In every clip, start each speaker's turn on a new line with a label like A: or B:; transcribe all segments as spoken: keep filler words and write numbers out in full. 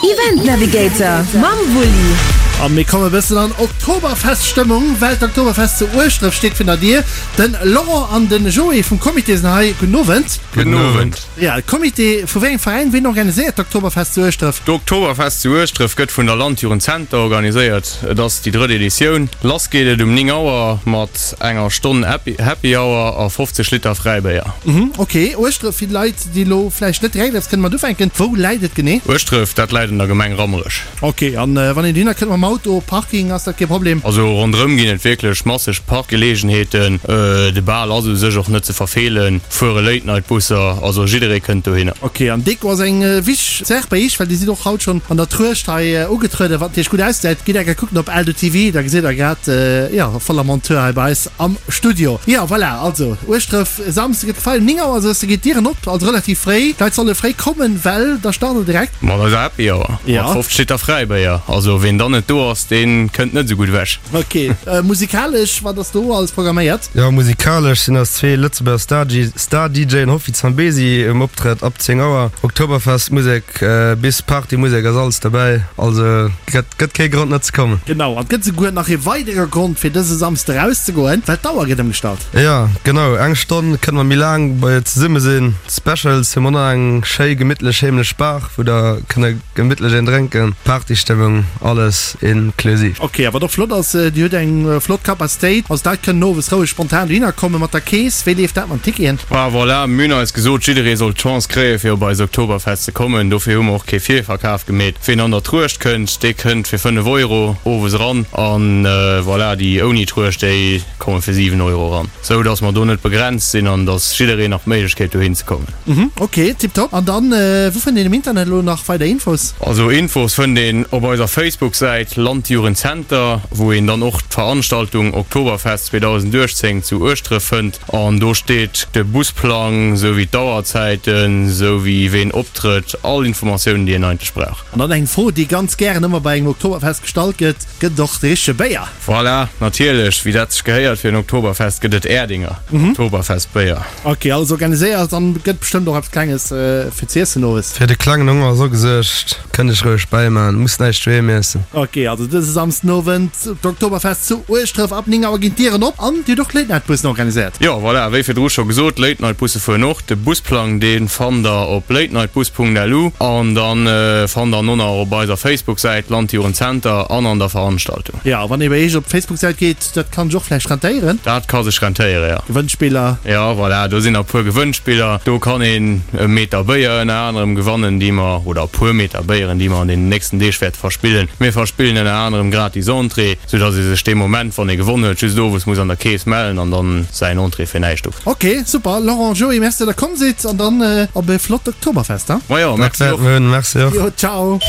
A: Event Navigator mam Wulli.
B: A mir komme bëssen an Oktoberfest-Stëmmung, well d'Oktoberfest zu Ueschdref steet virun der Dier. Den Laurent an den Joé vum Comité sinn hei. Gudden Owend.
C: Gudden Owend.
B: Ja, Comité vu wéi engem Veräin? Wien organiséiert d'Oktoberfest zu Ueschdref?
C: D'Oktoberfest zu Ueschdref gëtt vun der Landjugend Zenter organiséiert. Et ass déi drëtt Editioun. Lass geet et um néng Auer mat enger Stonn Happy Hour a fofzeg Liter Fräibéier.
B: Mhm, ok. Ueschdref, fir d'Leit, déi elo vläicht net direkt eppes kënne mat ufänken, wou läit et genee?
C: Ueschdref, dat läit an der Gemeng Rammerech.
B: Ok, an wann een dohinner kënnt mam Auto, Parking, ass dat kee Problem?
C: Also ronderëm ginn et wierklech masseg Parkgeleegenheeten. De Bal ass u sech och net ze verfeelen. Fuere Late Night Busser, also jidderee kënnt dohinner.
B: Ok, an Deko ass eng wichteg Saach bei iech, well dir sidd och haut schonn an der Truecht hei ugetrueden, wat natierlech gutt ausgesäit. Gitt eng Kéier kucken op Eldo T V, da gesitt der grad, jo, voller Montur hei bei eis am Studio. Jo, voilà, also Ueschdref, e Samsde gëtt gefeiert, um néng Auer soss, geet d'Dieren op, also relativ fréi. D'Leit solle fréi kommen, well da start der direkt.
C: Mat eiser Happy Hour, mat fofzeg Liter Fräibéier. Also ween dann net do ass, dee kënnt net esou gutt ewech.
B: Ok, musikalesch, wat ass do alles programméiert?
D: Jo, musikalesch sinn eis zwee Lëtzebuerger Star-D J'en Hoffi Zambezi um Optrëtt ab zéng Auer. Oktoberfest-Musek bis Party-Musek ass alles dobäi, also gëtt gëtt kee Grond net ze kommen.
B: Genau, an et gëtt esouguer nach ee weidere Grond fir dëse Samsde erauszegoen, well d'Auer gëtt ëmgestallt.
D: Jo, genau, eng Stonn kënne mer méi laang bei zesumme sinn. Specials hu mer nach eng schéi gemittlech heemlech Bar, wou der kënne gemittlech een drénken. Partystëmmung, alles inklusiv.
B: Ok, a wat och flott ass, Dir hutt eng flott Capacitéit, also d'Leit kënnen owes roueg spontan dohinner komme mat der Kees. Wéi leeft dat mat den Ticketen?
C: Ah voilà, mir hunn eis gesot, jidderee soll d'Chance kréie fir op eis Oktoberfest ze kommen. Dofir hu mer och kee Virverkaf gemeet. Ween an der Truecht kënnt, dee kënnt fir fënnef Euro owes eran an voilà, déi ouni Truecht, déi komme fir siwen Euro eran. Sou dass mer do net begrenzt sinn an dass jiddereen nach d'Méiglechkeet dohin ze kommen.
B: Mhm, ok, tiptop. An dann, wou fënnt een um Internet elo nach weider Infos?
C: Also Infos fënnt een op eiser Facebook-Säit Landjugendzenter, wou een dann och d'Veranstaltung Oktoberfest zweedausendachtzéng zu Ueschdref fënnt. An do steet de Busplang, sou wéi d'Auerzäiten, sou wéi ween optrëtt, all Informatiounen, déi een eigentlech brauch.
B: An dann eng Fro, déi ganz gären ëmmer bei engem Oktoberfest gestallt gëtt, Gëtt et och de richtege Béier?
C: Voilà, natierlech, wéi dat sech gehéiert fir en Oktoberfest, gëtt et Erdinger Oktoberfestbéier.
B: Ok, alles organiséiert an gëtt bestëmmt och eppes Klenges fir z'iessen owes.
D: Fir de klengen Honger ass och gesuergt, kënnt iech roueg bäimaan, musst näischt doheem iessen.
B: Ok, also dëse Samsden Owend d'Oktoberfest zu Ueschdref, ab néng Auer ginn d'Dieren op an dir hutt och Late-Night-Bussen organiséiert.
C: Jo, voilà, wéi virdru scho gesot, Late-Night-Busse fueren och. De Busplang, dee fannt der op latenightbus Punkt lu an dann fannt der en och nach op eiser Facebook-Säit Landjugendzenter an an der Veranstaltung.
B: Jo, wann ee bei iech op d'Facebook-Säit geet, dat kann sech och vläicht rentéieren.
C: Dat ka sech rentéieren, jo.
B: Gewënnspiller.
C: Jo, voilà, do sinn e puer Gewënnspiller. Do kann een e Meter Béier ënner anerem gewannen, déi mer, oder e puer Meter Béieren, déi mer an deenen nächsten Deeg wäerte verspillen. Mir verspillen ënner anerem gratis Entrée, soudass ee sech dee Moment, wann ee gewonn huet, just owes muss an der Kees mellen an dann säin Entrée fir näischt of.
B: Ok, super. Laurent, Joé, merci, datt der komm sidd an dann op e flott Oktoberfest, he?
C: Majo, merci och.
D: Merci och.
B: Jo, ciao.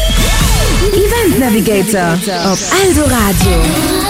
A: Event Navigator op Eldoradio.